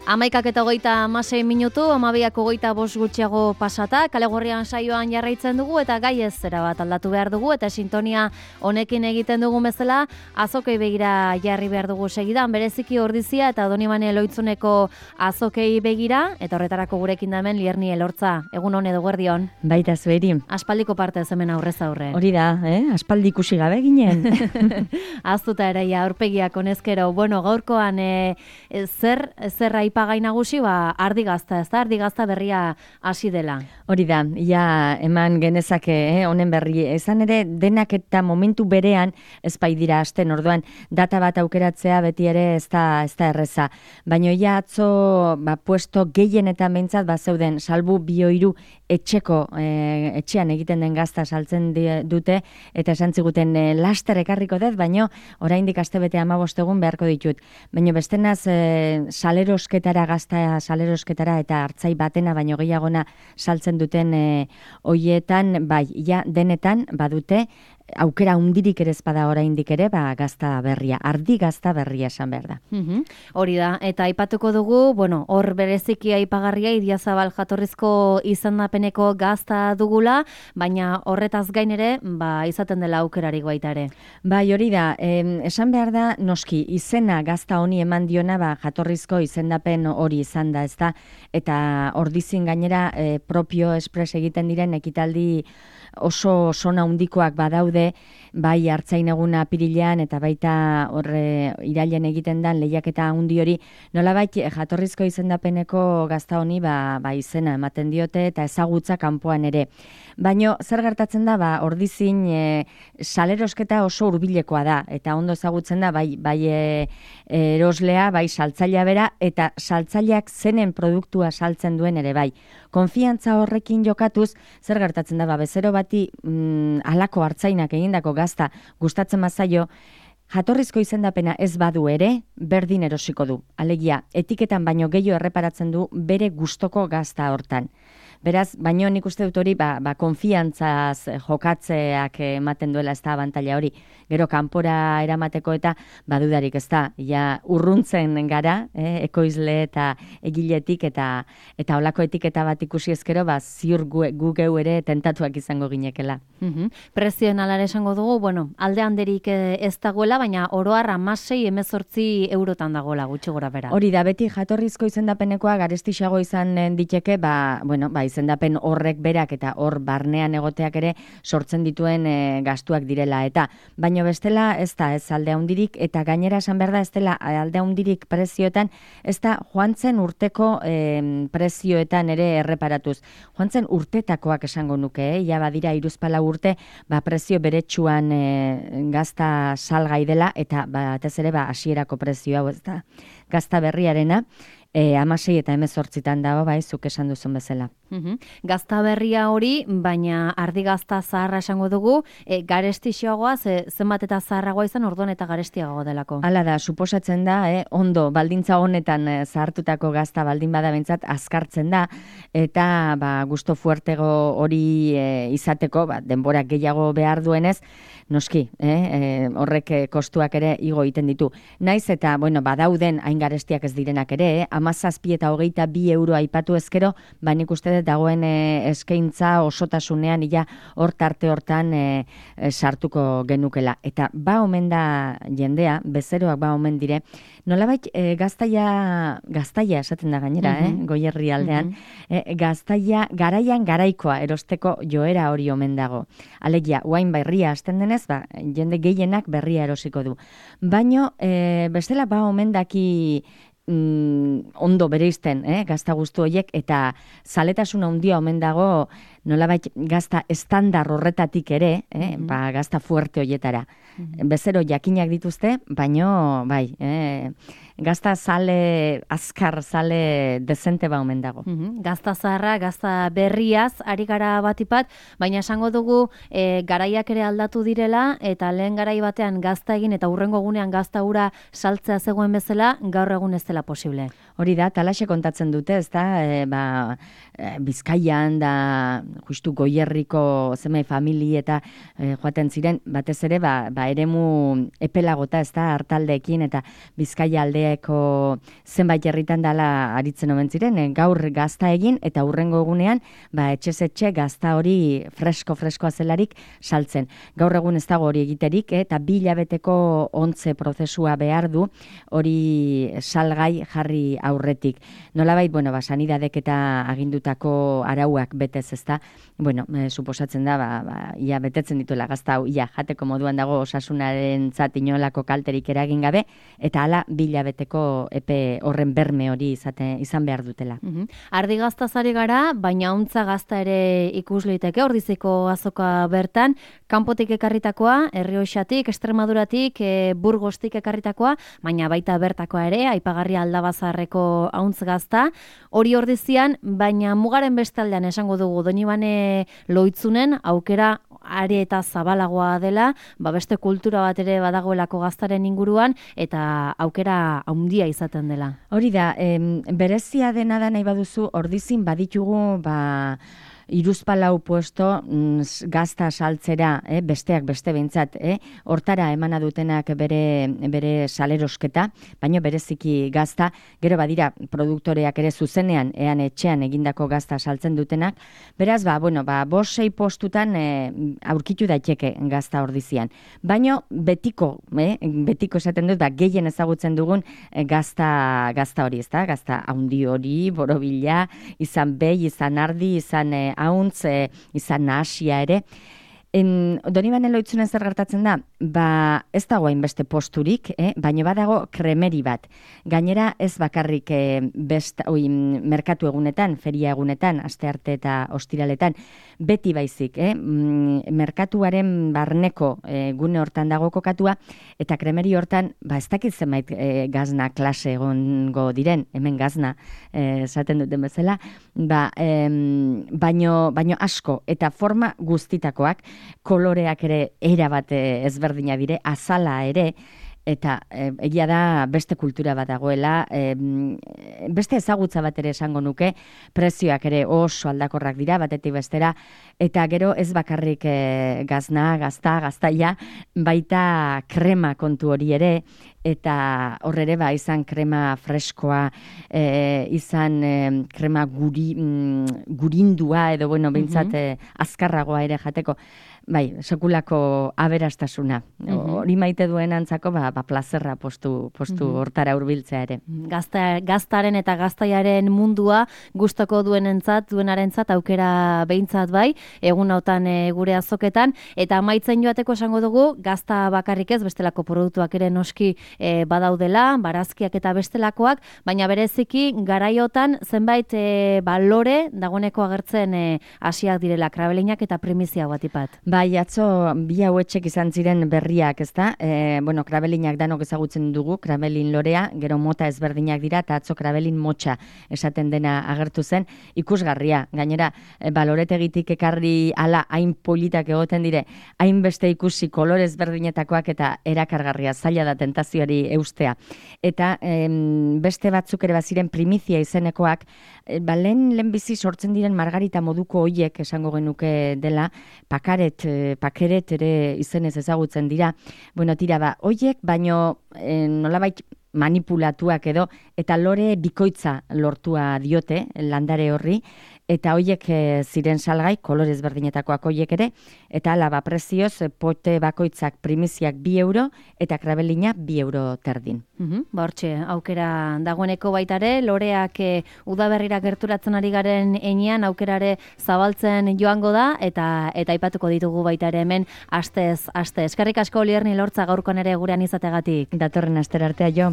11:26 minutu, 12:25 gutxiago pasata, Kale Gorrian saioan jarraitzen dugu eta gai ez zera bat aldatu behar dugu eta sintonia honekin egiten dugu bezala, azokei begira jarri behar dugu segidan, bereziki Ordizia eta Donibane Loitzuneko azokei begira, eta horretarako gurekin da hemen Lierni Elortza. Egun hon edo guerdion. Baita zueri. Aspaldiko parte ez hemen aurrez aurre. Hori da, aspaldi ikusi gabe ginen. Aztuta ere, aurpegiak honezkero. Bueno, gaurkoan zer aipagai nagusi, ardi gazta, ez da? Ardi gazta berria hasi dela. Hori da, ja eman genezake honen berri. Ezan ere, denak eta momentu berean ez bai dira hasten, orduan data bat aukeratzea beti ere ez da erreza. Baina ja atzo puesto gehienetan behintzat zeuden salbu 2-3 etxean egiten den gazta saltzen dute eta esan ziguten laster ekarriko dut, baina oraindik astebete 15 egun beharko ditut. Baina bestenaz gazta salerosketara eta hartzai batena baino gehiagona saltzen duten hoietan, bai, ja denetan badute aukera hundirik ere ezpada oraindik ere, gazta berria, ardi gazta berria esan behar da. Hori da, eta aipatuko dugu, hor bereziki aipagarria Idiazabal jatorrizko izendapeneko gazta dugula, baina horretaz gain ere, izaten dela aukerarik baita ere. Bai, hori da, esan behar da, noski, izena gazta honi eman diona, jatorrizko izendapen hori izan da, ezta, eta Ordizin gainera propio espres egiten diren ekitaldi oso sona handikoak badaude, bai hartzain eguna apirilean eta baita horre irailen egiten dan lehiaketa handi hori, nolabait jatorrizko izendapeneko gazta honi izena ematen diote eta ezagutza kanpoan ere. Baino zer gertatzen da, Ordizin salerosketa oso hurbilekoa da eta ondo ezagutzen da bai eroslea, bai saltzailea bera eta saltzaileak zenen produktua saltzen duen ere bai. Konfiantza horrekin jokatuz, zer gertatzen da, bezero bati halako hartzainak egindako gazta gustatzen bazaio, jatorrizko izendapena ez badu ere, berdin erosiko du. Alegia, etiketan baino gehiago erreparatzen du bere gustoko gazta hortan. Beraz, baino nik uste dut hori, konfiantzaz jokatzeak ematen duela ez da abantaila hori. Gero kanpora eramateko eta badudarik ez da, ja urruntzen gara, ekoizle eta egiletik eta holako etiketa bat ikusi ezkero, ziur gu geu ere tentatuak izango ginekela. Prezioen alare esango dugu, alde handerik ez dagoela, baina oroar 16-18 eurotan dagoela gutxi gora bera. Hori da, beti jatorrizko izendapenekoa garestixago izan diteke, izendapen horrek berak eta hor barnean egoteak ere sortzen dituen gastuak direla. Eta baino bestela ez da ez alde handirik eta gainera esan behar da ez dela alde handirik prezioetan, ez da joantzen urteko prezioetan ere erreparatuz. Joantzen urtetakoak esango nuke, ja badira 3-4 urte, prezio beretsuan gazta salgai dela eta batez ere hasierako prezio hau ez da gazta berriarena. 16 eta 18 dago, zuk esan duzun bezala. Gazta berria hori, baina ardi gazta zaharra esango dugu, garestixoagoa, zenbat eta zaharragoa izan orduan eta garestiagoa delako. Hala da, suposatzen da, ondo, baldintza honetan zahartutako gazta baldin bada bentsat azkartzen da, eta gusto fuertego hori izateko, denbora gehiago behar duenez, noski, horrek kostuak ere igo egiten ditu. Naiz eta, badauden hain garestiak ez direnak ere, 17 eta 22 euro aipatu ezkero, nik uste dut dagoen eskaintza osotasunean ia hor tarte hortan sartuko genukela. Eta omen da jendea, bezeroak omen dire, nolabait gaztaia esaten da gainera, Goierri aldean, gaztaia garaian garaikoa erosteko joera hori omen dago. Alegia, uain berria hasten denez, jende gehienak berria erosiko du. Baino, bestela omen daki ondo bereizten, gazta guztu horiek, eta zaletasuna handia omen dago nolabait gazta estandar horretatik ere, gazta fuerte horietara. Bezero jakinak dituzte, baino, gazta zale, azkar zale dezente omen dago. Gazta zaharra, gazta berriaz, ari gara batipat, baina esango dugu garaiak ere aldatu direla, eta lehen garai batean gazta egin eta hurrengo egunean gazta hura saltzea zegoen bezala, gaur egun ez dela posible. Hori da, talaxe kontatzen dute, ez da, Bizkaian da justu Goierriko zenbait famili eta joaten ziren, batez ere, eremu epelagota, ez da, hartaldeekin eta Bizkaia aldeeko zenbait herritan dala aritzen omen ziren, gaur gazta egin eta hurrengo egunean, etxez etxe gazta hori freskoa zelarik saltzen. Gaur egun ez dago hori egiterik, eta 2 hilabeteko ontze prozesua behar du hori salgai jarri aurretik. Nolabait, sanidadek eta agindutako arauak betez, ezta? Suposatzen da, ia betetzen dituela gazta hau, ia jateko moduan dago osasunaren inolako kalterik eragin gabe, eta hala 2 hilabeteko epe horren berme hori izan behar dutela. Ardi gaztazari gara, baina ontza gazta ere ikus liteke, Ordiziko azoka bertan, kanpotik ekarritakoa, Errioxatik, Extremaduratik, Burgostik ekarritakoa, baina baita bertakoa ere, aipagarria Aldabazarreko auntz gazta, hori Ordizian, baina mugaren bestaldean esango dugu, Donibane Loitzunen aukera are eta zabalagoa dela, beste kultura bat ere badagoelako gaztaren inguruan, eta aukera handia izaten dela. Hori da, berezia dena da nahi baduzu, Ordizin baditugu, 3-4 puesto gazta saltzera, besteak beste behintzat, hortara emana dutenak bere salerosketa, baino bereziki gazta, gero badira produktoreak ere zuzenean, ean etxean egindako gazta saltzen dutenak, beraz, 5-6 postutan aurkitu daiteke gazta Ordizian. Baino betiko esaten dut, gehien ezagutzen dugun gazta hori, ezta? Gazta haundi hori, borobila, izan behi, izan ardi, izan hauntz, izan nahasia ere. Donibane Loitzunen zer gertatzen da? Ez dago hainbeste posturik, baina badago kremeri bat. Gainera ez bakarrik merkatu egunetan, feria egunetan, astearte eta ostiraletan, beti baizik, merkatuaren barneko gune hortan dago kokatua, eta kremeri hortan, ez dakit zenbait gazna klase egongo diren, hemen gazna esaten duten bezala, baino asko, eta forma guztitakoak, koloreak ere erabat ezberdina dire, azala ere, eta egia da beste kultura bat dagoela, beste ezagutza bat ere esango nuke, prezioak ere oso aldakorrak dira, batetik bestera, eta gero ez bakarrik gaztaia, baita krema kontu hori ere, eta horre izan krema freskoa, izan krema gurindua, edo behintzat azkarragoa ere jateko, sekulako aberastasuna. Hori maite duen antzako, plazerra postu hortara hurbiltzea ere. Gaztaren eta gaztaiaren mundua gustoko duenarentzat aukera behintzat bai, egun hautan gure azoketan, eta amaitzen joateko esango dugu, gazta bakarrik ez, bestelako produktuak ere noski badaudela, barazkiak eta bestelakoak, baina bereziki garaiotan zenbait balore dagoeneko agertzen hasiak direla, krabelinak eta primizia batipat. Atzo bi hauetxek izan ziren berriak, ezta? Krabelinak danok ezagutzen dugu, krabelin lorea, gero mota ezberdinak dira, eta atzo krabelin motxa esaten dena agertu zen, ikusgarria. Gainera, baloretegitik ekarri ala hain politak egoten dire, hainbeste ikusi kolore ezberdinetakoak eta erakargarria, zaila da tentazioari eustea. Eta beste batzuk ere baziren primizia izenekoak, lehen bizi sortzen diren margarita moduko hoiek esango genuke dela, pakeret ere izenez ezagutzen dira. Hoiek, baino nolabait manipulatuak edo, eta lore bikoitza lortua diote landare horri, eta hoiek ziren salgai, kolorez berdinetakoak hoiek ere, eta ala prezioz pote bakoitzak primiziak 2 euro, eta krabelina 2 euro terdin. Hortxe, aukera dagoeneko baitare, loreak udaberrira gerturatzen ari garen enean, aukerare zabaltzen joango da, eta aipatuko ditugu baitare hemen astez. Eskerrik asko Olierni Lortza gaurkoan ere gurean izategatik. Datorren astera artea jo.